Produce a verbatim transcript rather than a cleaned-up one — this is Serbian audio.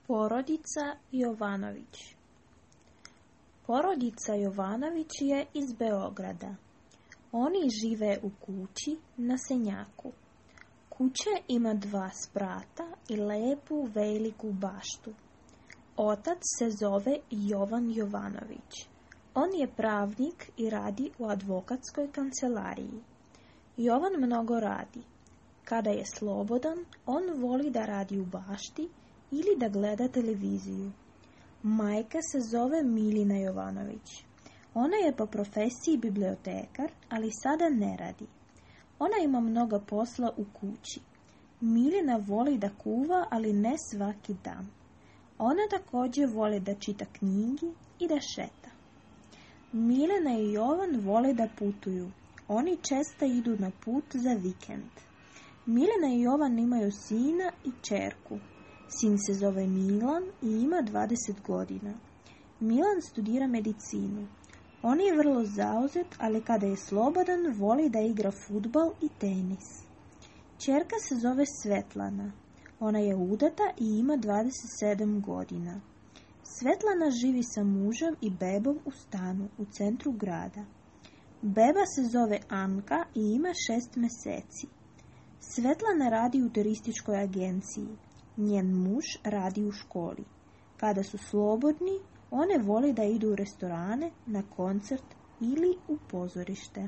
Porodica Jovanović. Porodica Jovanović je iz Beograda. Oni žive u kući na Senjaku. Kuća ima dva sprata i lepu veliku baštu. Otac se zove Jovan Jovanović. On je pravnik i radi u advokatskoj kancelariji. Jovan mnogo radi. Kada je slobodan, on voli da radi u bašti ili da gleda televiziju. Majka se zove Milina Jovanović. Ona je po profesiji bibliotekar, ali sada ne radi. Ona ima mnogo posla u kući. Milina voli da kuva, ali ne svaki dan. Ona također voli da čita knjigi i da šeta. Milina i Jovan vole da putuju. Oni često idu na put za vikend. Milina i Jovan imaju sina i ćerku. Sin se zove Milan i ima dvadeset godina. Milan studira medicinu. On je vrlo zauzet, ali kada je slobodan, voli da igra fudbal i tenis. Ćerka se zove Svetlana. Ona je udata i ima dvadeset sedam godina. Svetlana živi sa mužem i bebom u stanu u centru grada. Beba se zove Anka i ima šest mjeseci. Svetlana radi u turističkoj agenciji. Njen muž radi u školi. Kada su slobodni, one vole da idu u restorane, na koncert ili u pozorište.